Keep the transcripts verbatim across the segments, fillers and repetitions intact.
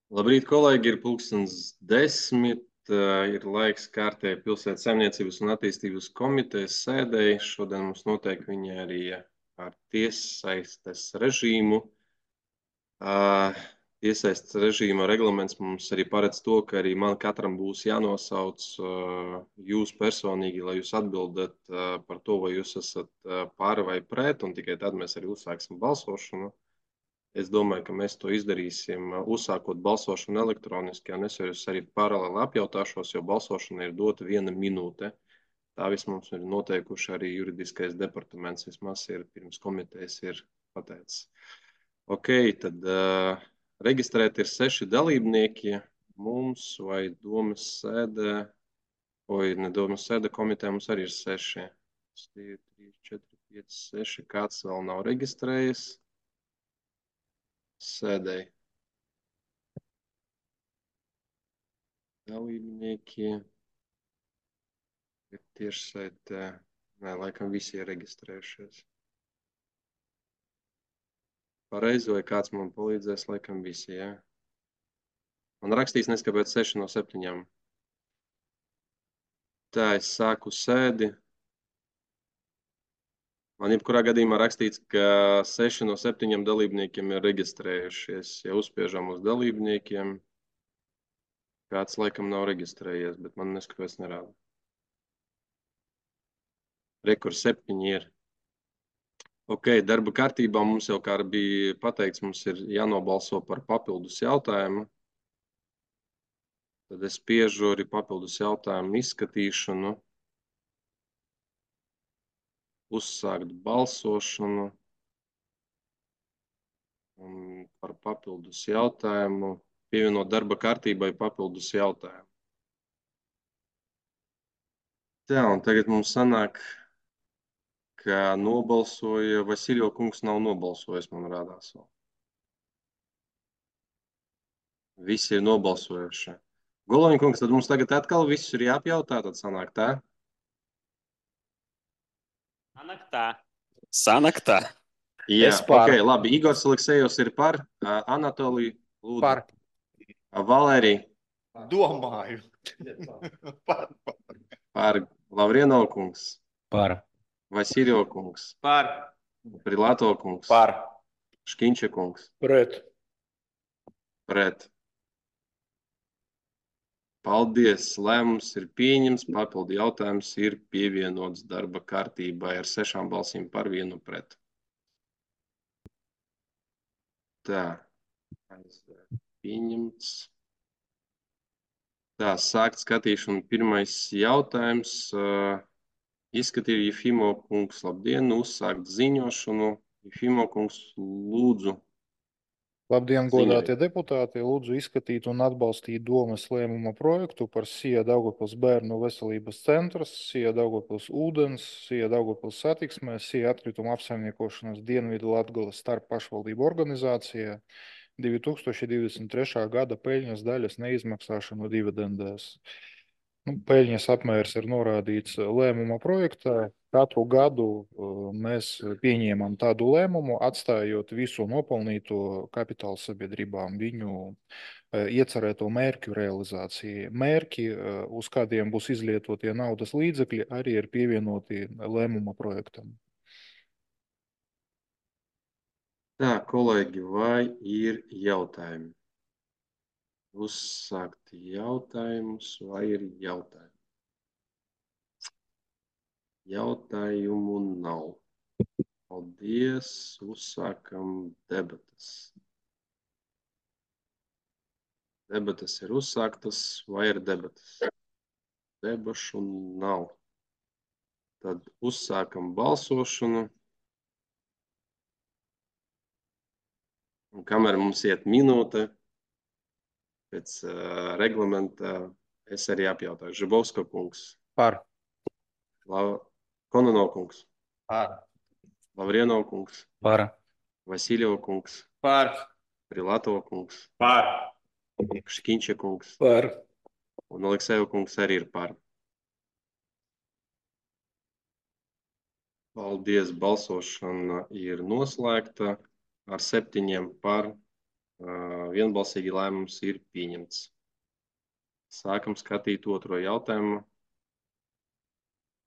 Labrīt, kolēģi! Ir pulkstens desmit. Ir laiks kārtēji Pilsētas saimniecības un attīstības komitejas sēdēji. Šodien mums notiek viņa arī ar tiessaistes režīmu. Tiessaistes režīma reglaments mums arī paredz to, ka arī man katram būs jānosauc jūs personīgi, lai jūs atbildat par to, vai jūs esat par vai pret, un tikai tad mēs arī uzsāksim balsošanu. Es domāju, ka mēs to izdarīsim, uzsākot balsošanu elektroniski, un es jūs arī paralēli apjautāšos, jo balsošana ir dota viena minūte. Tā vismaz ir noteikuši arī juridiskais departaments, vismaz ir pirms komitejas ir pateicis. Ok, tad uh, reģistrēt ir seši dalībnieki mums vai domas sēdē, vai ne domas sēde komiteja mums arī ir seši. trīs, četri, pieci, seši, kāds vēl nav reģistrējies. Sēdēji. Dalībnieki ir tiešsaitē. Nē, laikam visi ir reģistrējušies. Pareizi, vai kāds man palīdzēs, laikam visi, jā. Man rakstīs neskapēc seši no septiņām. Tā, es sāku sēdi. Man jebkurā gadījumā rakstīts, ka seši no septiņiem dalībniekiem ir reģistrējušies. Ja uzspiežam uz dalībniekiem, kāds laikam nav reģistrējies, bet man neskapēc nerāda. Rekur septiņi ir. Ok, darba kārtībā mums jau kā bija pateikts, mums ir jānobalso par papildus jautājumu. Tad es spiežu arī papildus jautājumu izskatīšanu. Uzsākt balsošanu. Un par papildus jautājumu. Pievienot darba kārtībai papildus jautājumu. Tā, un tagad mums sanāk, ka nobalsoja, Vasiljo kungs nav nobalsojis, man rādās vēl. Visi ir nobalsojuši. Goloņa kungs, tad mums tagad atkal visus ir jāapjautā, tad sanāk tā? Sanāk tā. Sanāk tā. Jā, ok, labi. Igors Aleksejos ir par. Anatolij, lūdzu. Par. Valērija. Domāju. Par. Par. Lavrienov kungs. Par. Vasiljo kungs. Par. Prilato kungs. Par. Škiņča kungs. Pret. Pret. Paldies. Lēmums ir pieņems. Papildu jautājums ir pievienots darba kārtībai ar sešām balsīm par vienu pret. Tā. Pieņemts. Tā, sākt skatīšanu. Pirmais jautājums. Izskatīja Jefimo kungs. Labdien, uzsākt ziņošanu. Jefimo kungs, lūdzu. Labdien, godātie deputāti! Lūdzu izskatīt un atbalstīt domes lēmuma projektu par Sija Daugavpils bērnu veselības centrs, Sija Daugavpils ūdens, Sija Daugavpils satiksmē, Sija atkrituma apsaimniekošanas Dienvidu Latgales starp pašvaldību organizācijā divi tūkstoši divdesmit trešā gada peļņas daļas neizmaksāšanu dividendēs. Nu, peļņas apmērs ir norādīts lēmuma projektā. Katru gadu mēs pieņēmam tādu lēmumu, atstājot visu nopelnīto kapitāla sabiedrībām viņu iecerēto mērķu realizācijai. Mērķi, uz kādiem būs izlietotie naudas līdzekļi, arī ir pievienoti lēmuma projektam. Tā, kolēģi, vai ir jautājumi? Uzsākt jautājumus, vai ir jautājumi? Jautājumu nav. Paldies, uzsākam debatas. Debatas ir uzsāktas, vai ir debatas? Debašu nav. Tad uzsākam balsošanu. Un kamēr mums iet minūte, pēc uh, reglamenta es arī apjautāju. Žibovska kungs. Par. La... Kononov kungs. Par. Lavrienov kungs. Par. Vasiljo kungs. Par. Prilato kungs. Par. Škiņča kungs. Par. Un Alekseju kungs arī ir par. Paldies, balsošana ir noslēgta ar septiņiem par, Vienbalsīgi lēmums ir pieņemts. Sākam skatīt otro jautājumu.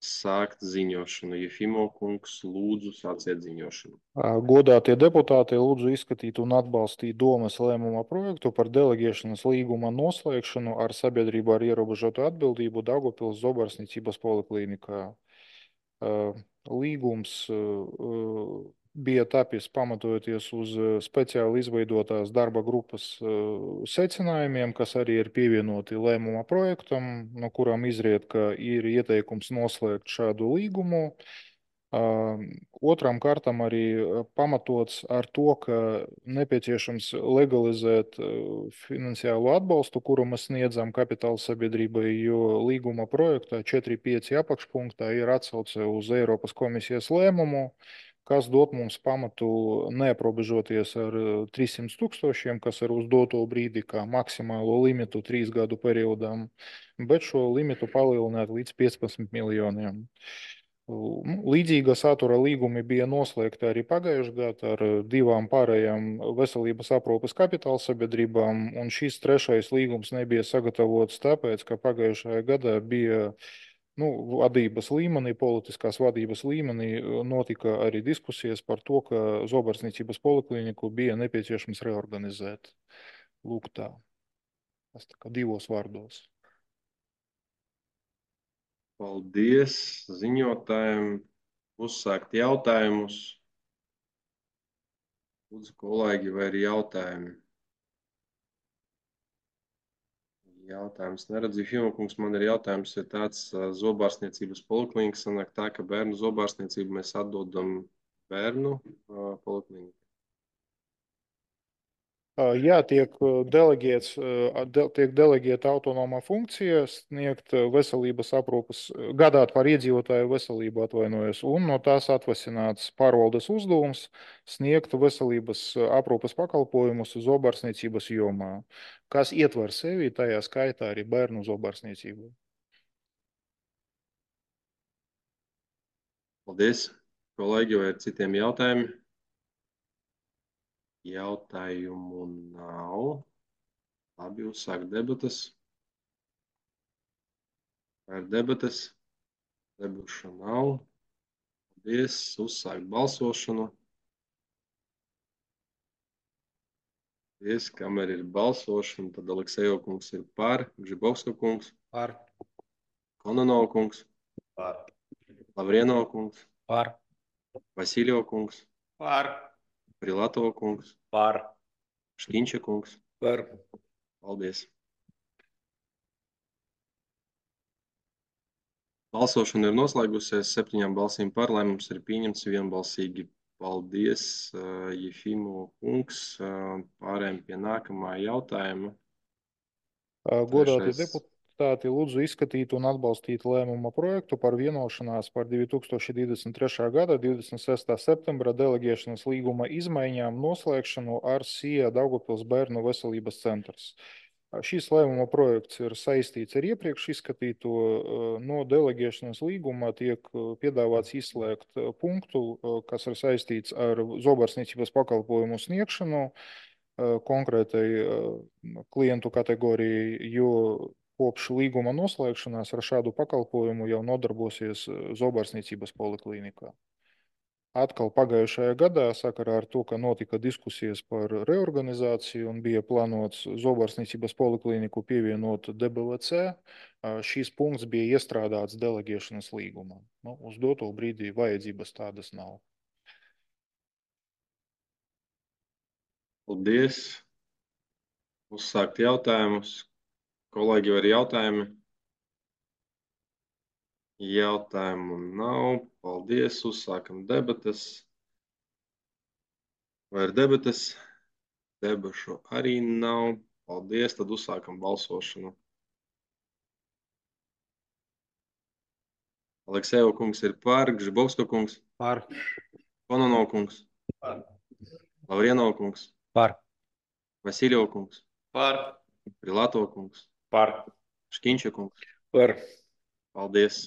Sākt ziņošanu. Jefimo kungs, lūdzu, sāciet ziņošanu. Godātie deputāti, lūdzu izskatīt un atbalstīt domes lēmuma projektu par deleģēšanas līguma noslēgšanu ar sabiedrību ar ierobežotu atbildību Daugavpils Zobarsniecības poliklinikā. Līgums bija tapis pamatojoties uz speciāli izveidotās darba grupas secinājumiem, kas arī ir pievienoti lēmuma projektam, no kurām izriet, ka ir ieteikums noslēgt šādu līgumu. Otram kārtam arī pamatots ar to, ka nepieciešams legalizēt finansiālo atbalstu, kuru mēs sniedzam kapitāla sabiedrībai, jo līguma projektā četri pieci apakšpunktā ir atsauce uz Eiropas komisijas lēmumu, kas dot mums pamatu neaprobežoties ar trīssimts tūkstošiem, kas ir uz doto brīdi kā maksimālo limitu trīs gadu periodam, bet šo limitu palielināt līdz piecpadsmit miljoniem. Līdzīga satura līgumi bija noslēgti arī pagājušajā gadā ar divām pārējām veselības aprūpes kapitāla sabiedrībām, un šis trešais līgums nebija sagatavots tāpēc, ka pagājušajā gadā bija nu, vadības līmenī, politiskās vadības līmenī notika arī diskusijas par to, ka Zobarsniecības polikliniku bija nepieciešams reorganizēt. Lūk tā. Tas tā kā divos vārdos. Paldies ziņotājiem. Uzsākt jautājumus. Lūdzu, kolēģi, vai ir jautājumi? Jautājums neredzu. Fimokungs, man ir jautājums, ja tāds zobārstniecības poliklinika sanāk tā, ka bērnu zobārstniecību mēs atdodam bērnu polikliniku. Jā, tiek deleģēts, tiek deleģēta autonoma funkcija sniegt veselības aprūpes, gādāt par iedzīvotāju veselību atvainojas, un no tās atvasināts pārvaldes uzdevums sniegt veselības aprūpes pakalpojumus zobārstniecības jomā, kas ietver sevi tajā skaitā arī bērnu zobārstniecību. Paldies. Kolēģi, vai ir citiem jautājumi? Jautājumu nav. Labi, uzsāk debatas. Vai ir debatas? Debuša nav. Paldies. Uzsāk balsošanu. Paldies. Kamēr ir balsošana, tad Aleksejo kungs ir par. Gžibovska kungs. Par. Kononov kungs. Par. Lavrienov kungs. Par. Vasiljev kungs. Par. Prilatov kungs. Par. Škiņča kungs. Par. Paldies. Balsošana ir noslēgusies. Septiņām balsīm par. Lēmums ir pieņemts vienbalsīgi. Paldies, Jefimo kungs. Pārējām pie nākamā jautājuma. Godātie Trešais. deputāti, lūdzu izskatīt un atbalstīt lēmuma projektu par vienošanās par divi tūkstoši divdesmit trešā gada divdesmit sestā septembra deleģēšanas līguma izmaiņām noslēgšanu ar SIA Daugavpils bērnu veselības centrs. Šis lēmuma projekts ir saistīts ar iepriekš izskatīto. No deleģēšanas līguma tiek piedāvāts izslēgt punktu, kas ir saistīts ar zobārstniecības pakalpojumu sniegšanu konkrētai klientu kategorijai, jo kopš līguma noslēgšanās ar šādu pakalpojumu jau nodarbosies zobārstniecības poliklinikā. Atkal pagājušajā gadā, sakarā ar to, ka notika diskusijas par reorganizāciju un bija plānots zobārstniecības polikliniku pievienot D B V C, šīs punkts bija iestrādāts deleģēšanas līgumā. Nu, uz doto brīdī vajadzības tādas nav. Paldies. Uzsākt jautājumus. Kolēģi, vai ir jautājumi? Jautājumu nav. Paldies. Uzsākam debatas. Vai ir debatas? Debašu arī nav. Paldies. Tad uzsākam balsošanu. Aleksejo kungs ir par. Gžibovska kungs. Par. Kononov kungs. Par. Lavrienov kungs. Par. Vasiljev kungs. Par. Prilatov kungs. Par. Škiņča kungs. Par. Paldies.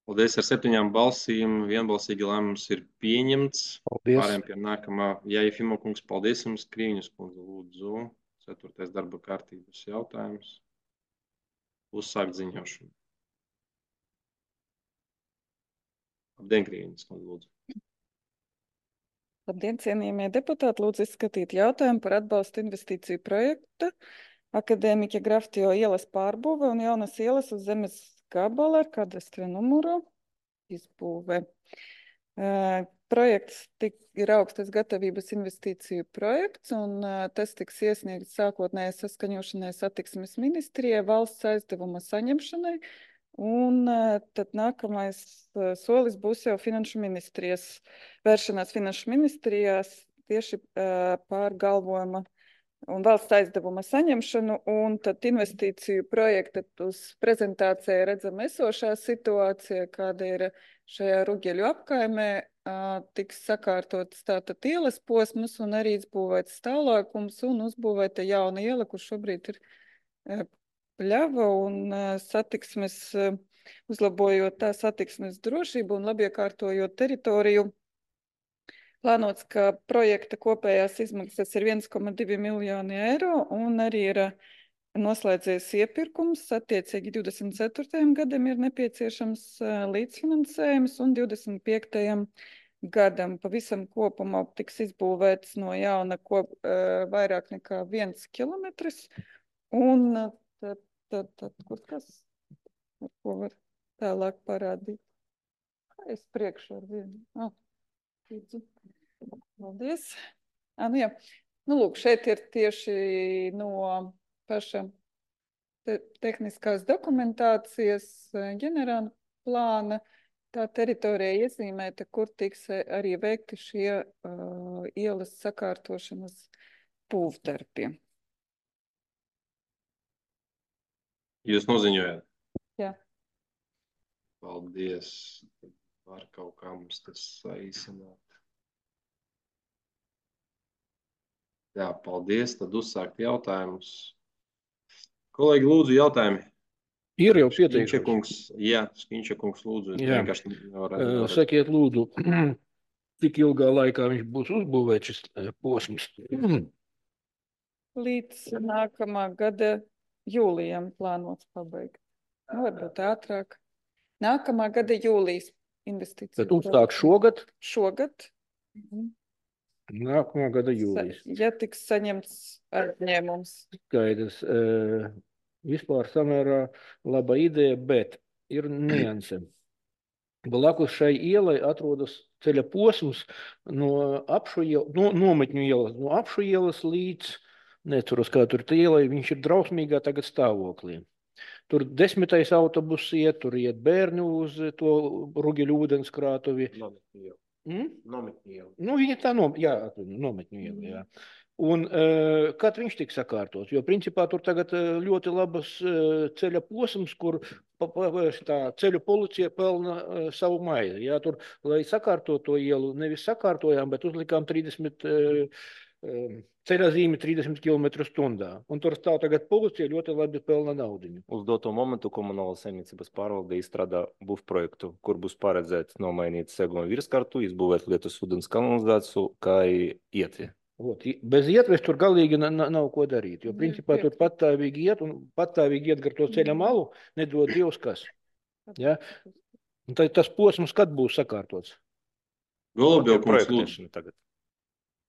Paldies ar septiņām balsīm. Vienbalsīgi lēmums ir pieņemts. Paldies. Pārējām pie nākamā. Jā, Jefimo kungs, paldies jums. Krīņas kundze, lūdzu. Ceturtais darba kārtības jautājums. Uzsākt ziņošanu. Labdien, Krīņas kundze, lūdzu. Labdien, cienījamie deputāti, lūdzu izskatīt jautājumu par atbalstu investīciju projekta Akadēmiķa Graftio ielas pārbūve un jaunas ielas uz zemes gabala ar kadastra numuru izbūve. Uh, projekts tik, ir augstas gatavības investīciju projekts, un uh, tas tiks iesniegts sākotnējai saskaņošanai satiksmes ministrijai valsts aizdevuma saņemšanai, un uh, tad nākamais uh, solis būs jau finanšu ministrijas vēršanās finanšu ministrijās tieši uh, pār galvojuma un valsts aizdevuma saņemšanu, un tad investīciju projekta uz prezentācijai redzam esošā situācija, kāda ir šajā Rugeļu apkaimē, tiks sakārtotas tātad ielas posmas un arī izbūvēts stāvlaukums un uzbūvēta jauna iela, kur šobrīd ir pļava un satiksmes, uzlabojot tā satiksmes drošību un labiekārtojot teritoriju. Plānots, ka projekta kopējās izmaksas ir viens komats divi miljoni eiro un arī ir noslēdzies iepirkums. Attiecīgi divdesmit ceturtajam gadam ir nepieciešams līdzfinansējums un divdesmit piektajam gadam pavisam kopumā tiks izbūvēts no jauna kop, vairāk nekā viens kilometrs. Un tad, tad, tad kur kas, ar ko var tālāk parādīt? Es priekšu ar vienu. Ah. Paldies. Ah, nu jā. Nu, lūk, šeit ir tieši no paša te tehniskās dokumentācijas ģenerāla plāna tā teritorija iezīmēta, kur tiks arī veikti šie uh, ielas sakārtošanas būvdarbi. Jūs noziņojāt? Jā. Paldies. Var kaut kā mums tas saīsināt. Jā, paldies. Tad uzsākt jautājumus. Kolēģi, lūdzu, jautājumi. Ir jau pieteikums. Škiņša kungs, jā, Škiņša kungs, lūdzu. Jā. Nevaru, Sakiet, lūdzu, cik ilgā laikā viņš būs uzbūvēts šis posms? Līdz nākamā gada jūlijam plānots pabeigt. Nu, varbūt ātrāk. Nākamā gada jūlijas investīcija. Tad uzsāk šogad? Šogad. Nākamā gada jūlijas. Ja tiks saņemts aizņēmums. Skaidrs. E, vispār samērā laba ideja, bet ir nianse. Blakus šai ielai atrodas ceļa posms no apšu ielas, no, nometņu ielas, no apšu ielas līdz, neceros, kā tur tā ielai, viņš ir drausmīgā tagad stāvoklī. Tur desmitais autobus iet, tur iet bērni uz to Rugeļu ūdenskrātuvi. Nometņu iela. Mm? Nometņu iela. Nu, viņa tā nom, jā, nometņu iela, jā. Un uh, kad viņš tiks sakārtots? Jo principā tur tagad ļoti labas uh, ceļa posms, kur pa, pa, tā ceļu policija pelna uh, savu maizi. Jā, tur, lai sakārtot to ielu, nevis sakārtojām, bet uzlikām trīsdesmit uh, uh, ceļa zīme trīsdesmit kilometru stundā. Un tur stāv tagad policija ļoti labi pelna naudiņu. Uz doto momentu komunāla saimniecības pārvalde izstrādā būvprojektu, kur būs paredzēts nomainīt seguma virskartu, izbūvēt lietus ūdens kanalizāciju, kā ietvi. Ot, bez ietves tur galīgi nav ko darīt, jo principā tur patāvīgi iet un patāvīgi iet gar to ceļa malu, nedod Dievs kas. Ja? Un tad tas posms, kad būs sakārtots? Golubjov kungs, lūdzu. Tagad.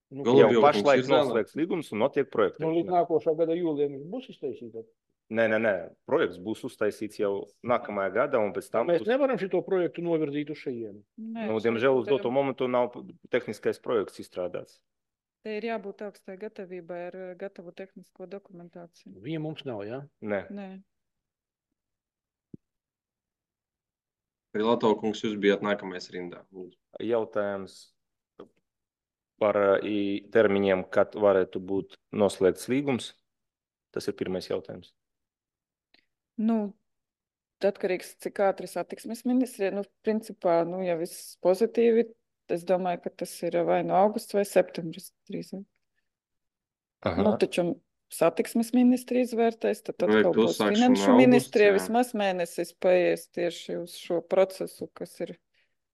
Nu, jau pašlaik noslēgts līgums un notiek projektēšana. Nu, līdz nākošā gada jūlijam būs iztaisīta? Nē, nē, nē. Projekts būs uztaisīts jau nākamajā gadā un pēc tam... Mēs nevaram šito projektu novirzīt uz šajienu. Nu, diemžēl uz doto momentu nav tehniskais projekts izstrādāts. Te ir jābūt augstai gatavībai ar gatavu tehnisko dokumentāciju. Viņa mums nav, jā? Nē. Nē. Pilato kungs, jūs bijat nākamais rindā. Lūdzu. Jautājums par termiņiem, kad varētu būt noslēgts līgums. Tas ir pirmais jautājums. Nu, atkarīgs, cik ātri satiksmes ministrija. Nu, principā, nu, ja viss pozitīvi, es domāju, ka tas ir vai no augusta vai septembris drīzāk. Nu, taču satiksmes ministri izvērtēs, tad atkal Projektu būs uzsākšana finanšu augusts, ministrija jā. vismaz mēnesis paies tieši uz šo procesu, kas ir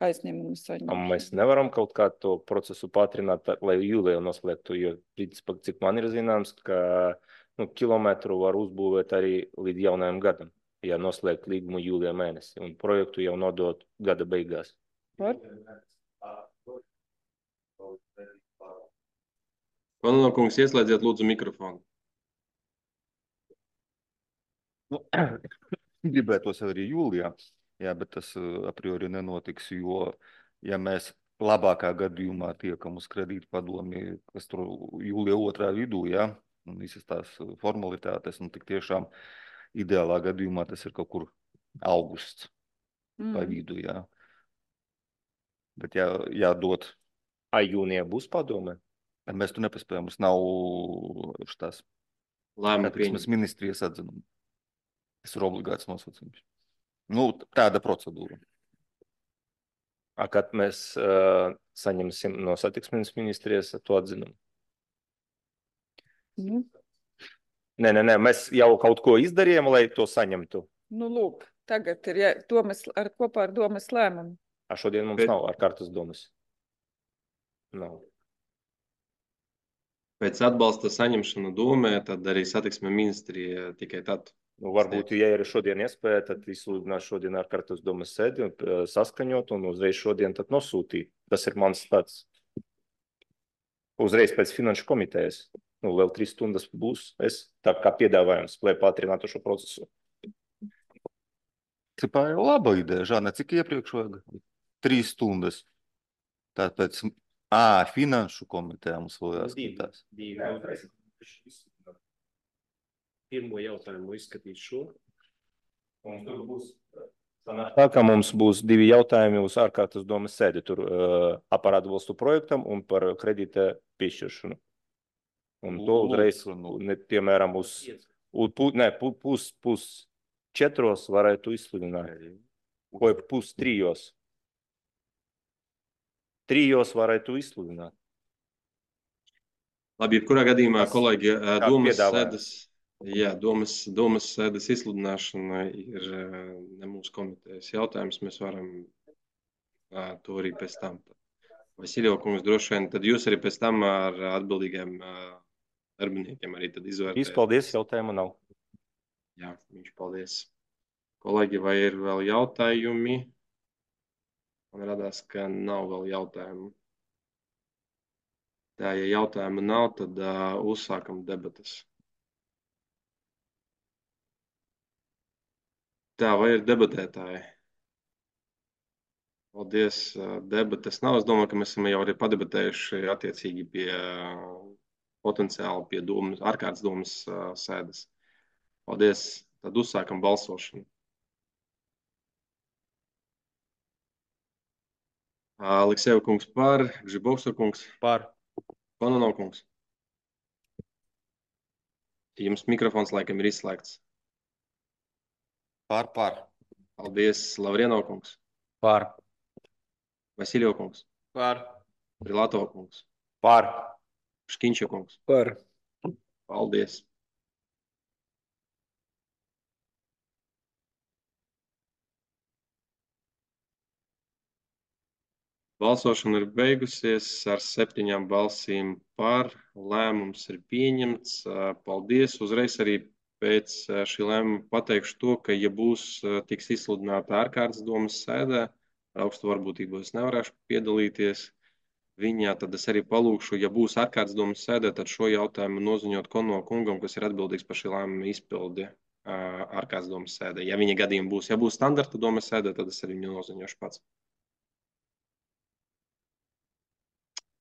aizņēmumu A saņemšana. mēs nevaram kaut kā to procesu pātrināt, tā, lai jūlijā noslēgtu, jo, principā, cik man ir zināms, ka nu, kilometru var uzbūvēt arī līdz jaunajam gadam, ja noslēgt līgumu jūlijā mēnesi, un projektu jau nodot gada beigās. Var? Kononov kungs, ieslēdziet lūdzu mikrofonu. Nu, gribētos jau arī jūlijā, jā, bet tas uh, a priori nenotiks, jo, ja mēs labākā gadījumā tiekam uz kredītu padomi, kas tur jūlija otrā vidū, jā, un visas tās formalitātes, un tik tiešām ideālā gadījumā tas ir kaut kur augusts mm. pa vidu, jā. Bet jā, jādod. A jūnijā būs padome? Mēs tu nepaspējam, mums nav štās Lēmumu satiksmes pieņemt. ministrijas atzinumi. Tas ir obligāts nosacījums. Nu, tāda procedūra. A kad mēs uh, saņemsim no satiksmes ministrijas to atzinumu? Nu, Nē, nē, nē, mēs jau kaut ko izdarījām, lai to saņemtu. nu lūk, tagad ir jā, domas, ar, kopā ar domas lēmumu. A šodien mums Bet- nav ar kartas domas. Nav. Pēc atbalsta saņemšana domē, tad arī satiksme ministrija tikai tad. Nu, varbūt, ja ir šodien iespēja, tad izsludināt šodien ar kartas domas sēdi un eh, saskaņot un uzreiz šodien tad nosūtīt. Tas ir mans tāds. Uzreiz pēc finanšu komitejas. Nu, vēl trīs stundas būs. Es tā kā piedāvājums, lai pātrinātu šo procesu. Cipā jau laba ideja, Žana, cik iepriekš vajag? Trīs stundas. Tāpēc, ā, finanšu komitejā mums vēl jāskatās. Pirmo jautājumu izskatīt šo. Un tur būs tā, ka mums būs divi jautājumi uz ārkārtas domas sēdi. Tur uh, par atbalstu projektam un par kredīta piešķiršanu. Un to uzreiz, ne, piemēram, uz, uz pu, ne, pu, pus, pus četros varētu izsludināt. Vai pus trijos. Trijos varētu izsludināt. Labi, jebkurā gadījumā, Tas kolēģi, ā, kā domas piedāvājums. sēdes, jā, domas, domas sēdes izsludināšana ir ā, ne mūsu komitejas jautājums. Mēs varam ā, to arī pēc tam. Vasiljev kungs, droši vien, tad jūs arī pēc tam ar atbildīgiem ā, darbiniekiem arī tad izvērtējat. Paldies, jautājumu nav. Jā, viņš paldies. Kolēģi, vai ir vēl jautājumi? Man radās, ka nav vēl jautājumu. Tā, ja jautājumu nav, tad uh, uzsākam debatas. Tā, vai ir debatētāji? Paldies, uh, debates nav. Es domāju, ka mēs esam jau arī padebatējuši attiecīgi pie uh, potenciāli pie domas, ārkārtas domas uh, sēdes. Paldies. Tad uzsākam balsošanu. Aleksejeva kungs par, Gžibovska kungs Par. Kononov kungs. Jums mikrofons laikam ir izslēgts. Par, par. Paldies, Lavrienov kungs. Par. Vasiljev kungs. Par. Prilatov kungs. Par. Škiņša kungs. Par. Paldies. Balsošana ir beigusies ar septiņām balsīm par. Lēmums ir pieņemts. Paldies. Uzreiz arī pēc šī lēmuma pateikšu to, ka, ja būs tiks izsludināta ārkārtas domas sēdē, ar augstu varbūtību es nevarēšu piedalīties viņā, tad es arī palūkšu, ja būs ārkārtas domas sēdē, tad šo jautājumu noziņot Kononov kungam, kas ir atbildīgs par šī lēmuma izpildi ārkārtas domas sēdē. Ja viņa gadījumi būs, ja būs standarta domas sēdē, tad es arī viņu noziņošu pats.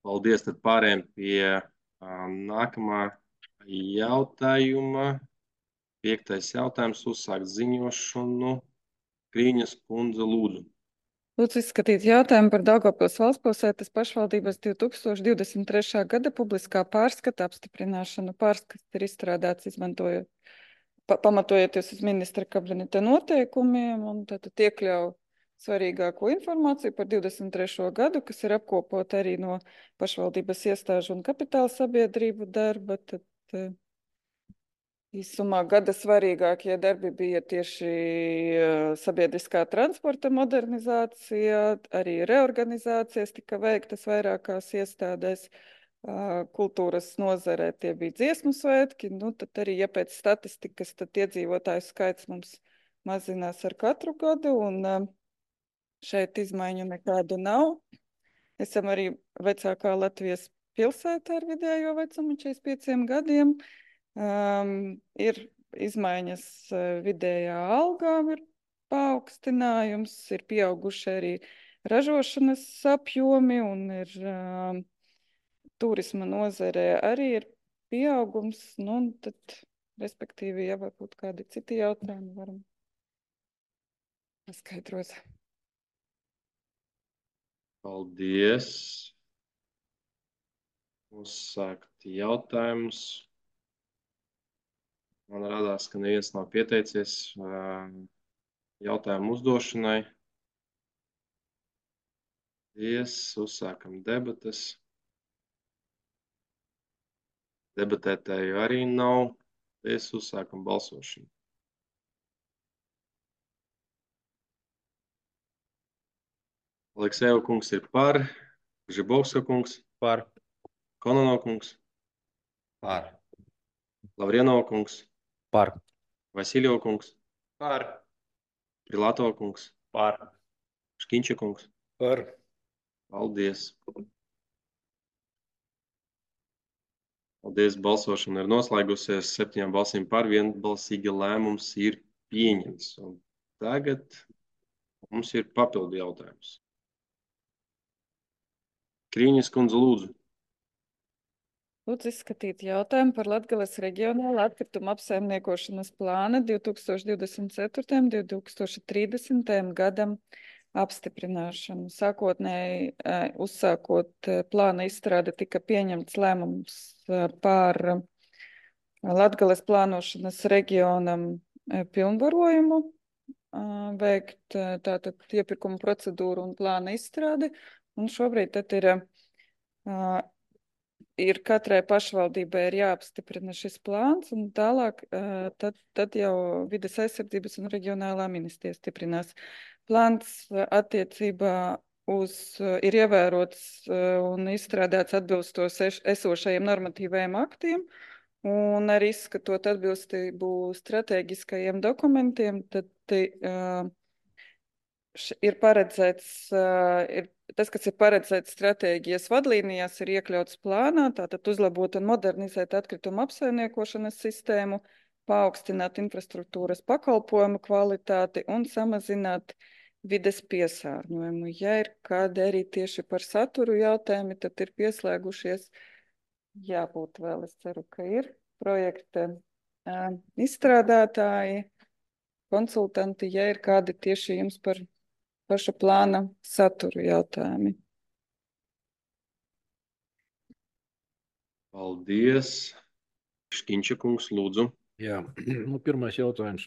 Paldies, tad pārējām pie uh, nākamā jautājuma. Piektais jautājums uzsākt ziņošanu. Krīņas kundze lūdzu. Lūdzu izskatīt jautājumu par Daugavpils valstpilsētas pašvaldības divi tūkstoši divdesmit trešā gada publiskā pārskata apstiprināšanu. Pārskats ir izstrādāts izmantojot, pa, pamatojoties uz ministra kabineta noteikumiem un tad iekļauj svarīgāko informāciju par divdesmit trešo gadu, kas ir apkopota arī no pašvaldības iestāžu un kapitāla sabiedrību darba. Tad Īsumā gada svarīgākie darbi bija tieši sabiedriskā transporta modernizācija, arī reorganizācijas tika veiktas vairākās iestādēs. Kultūras nozarē tie bija dziesmu svētki, nu tad arī, ja pēc statistikas, tad iedzīvotāju skaits mums mazinās ar katru gadu, un šeit izmaiņu nekādu nav. Esam arī vecākā Latvijas pilsēta ar vidējo vecumu četrdesmit pieciem gadiem. Um, ir izmaiņas vidējā algā, ir paaugstinājums, ir pieauguši arī ražošanas apjomi un ir um, turisma nozarē arī ir pieaugums, nu, un tad, respektīvi, ja varbūt kādi citi jautājumi varam paskaidrot. Paldies. Uzsākt jautājumus. Man radās, ka neviens nav pieteicies jautājumu uzdošanai. Paldies. Uzsākam debates. Debatētāju arī nav. Paldies. Uzsākam balsošanu. Aleksejeva kungs ir par. Žibovska kungs. Par. Kononov kungs. Par. Lavrienova kungs. Par. Vasiljeva kungs. Par. Prilatova kungs. Par. Škinča kungs. Par. Paldies. Paldies. Balsošana ir noslēgusies. Septiņām balsīm par, vienbalsīgi lēmums ir pieņemts. Un tagad mums ir papildu jautājums. Krīņas kundze, lūdzu. Lūdzu izskatīt jautājumu par Latgales reģionāla atkrituma apsaimniekošanas plāna divi tūkstoši divdesmit ceturtajam līdz divi tūkstoši trīsdesmitajam gadam apstiprināšanu. Sākotnēji uzsākot plāna izstrāde tika pieņemts lēmums par Latgales plānošanas reģionam pilnvarojumu veikt tātad iepirkuma procedūru un plāna izstrādi. Un šobrīd tad ir ir katrai pašvaldībai ir jāapstiprina šis plāns, un tālāk tad, tad jau vides aizsardzības un reģionālā ministrija stiprinās. Plāns attiecībā uz ir ievērots un izstrādāts atbilstoši esošajiem normatīvajiem aktiem, un arī izskatot atbilstību strateģiskajiem dokumentiem, tad uh, ir paredzēts, ir, tas, kas ir paredzēts stratēģijas vadlīnijās, ir iekļauts plānā, tātad uzlabot un modernizēt atkritumu apsaimniekošanas sistēmu, paaugstināt infrastruktūras pakalpojumu kvalitāti un samazināt vides piesārņojumu. Ja ir kādi arī tieši par saturu jautājumi, tad ir pieslēgušies, jābūt vēl, es ceru, ka ir projekta uh, izstrādātāji, konsultanti, ja ir kādi tieši jums par paša plāna saturu jautājumi. Paldies. Škinča kungs, lūdzu. Jā, nu, pirmais jautājums.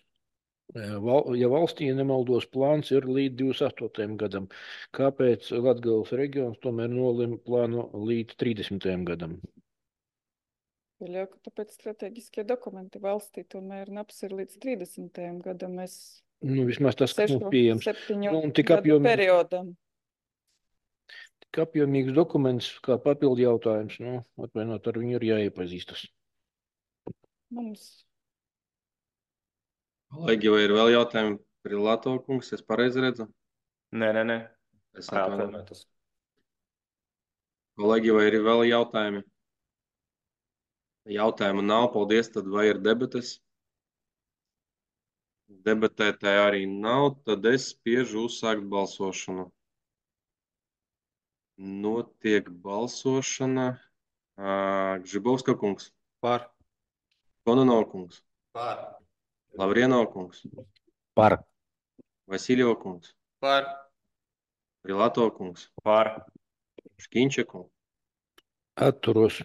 Ja valstī nemaldos plāns ir līdz divdesmit astotajam gadam, kāpēc Latgales reģions tomēr nolima plānu līdz trīsdesmitajam gadam? Pieļauju, ka tāpēc strateģiskie dokumenti valstī tomēr naps ir līdz trīsdesmitajam gadam. Mēs Nu, vismaz tas, kas mums pieejams. septiņu Nu, tik gadu apjomīgs, periodam. tik apjomīgs dokuments, kā papildu jautājums. Nu, atvainot, ar viņu ir jāiepazīstas. Mums Kolēģi, vai ir vēl jautājumi? Prilatova kungs, es pareizi redzu? Nē, nē, nē. Es Jā, atvainojos. atvainotos. Kolēģi, vai ir vēl jautājumi? Jautājumu nav, paldies, tad vai ir debates? Debatētāji arī nav, tad es spiežu uzsākt balsošanu. Notiek balsošana. Žibovska kungs. Par. Kononov kungs. Par. Lavrienova kungs. Par. Vasiljeva kungs. Par. Prilatova kungs. Par. Škinča kungs. Atturos.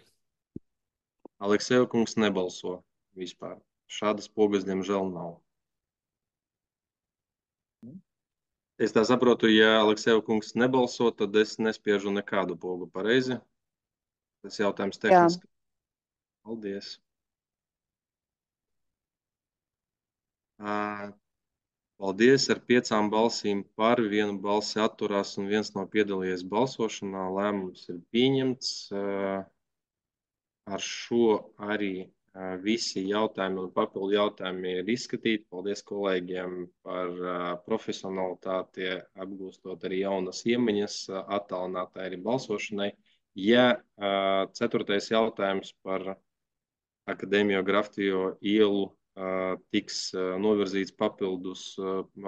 Aleksejeva kungs nebalso vispār. Šādas pogas, diemžēl, nav. Es tā saprotu, ja Aleksejeva kungs nebalso, tad es nespiežu nekādu pogu, pareizi? Tas jautājums tehniski. Jā. Paldies. Paldies, ar piecām balsīm par, vienu balsi atturās un viens nav piedalījies balsošanā. Lēmums ir pieņemts. Ar šo arī visi jautājumi un papildu jautājumi ir izskatīti. Paldies kolēģiem par profesionalitāti, apgūstot arī jaunas iemaņas, attālinātai arī balsošanai. Ja ceturtais jautājums par Akadēmiju Grafito ielu tiks novirzīts papildus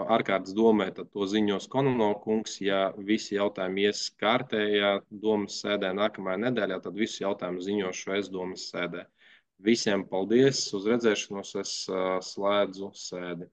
ārkārtas domē, tad to ziņos Kononova kungs. Ja visi jautājumi ies kārtējā domas sēdē nākamajā nedēļā, tad visus jautājumus ziņošu es domas sēdē. Visiem paldies, uz redzēšanos, es slēdzu sēdi.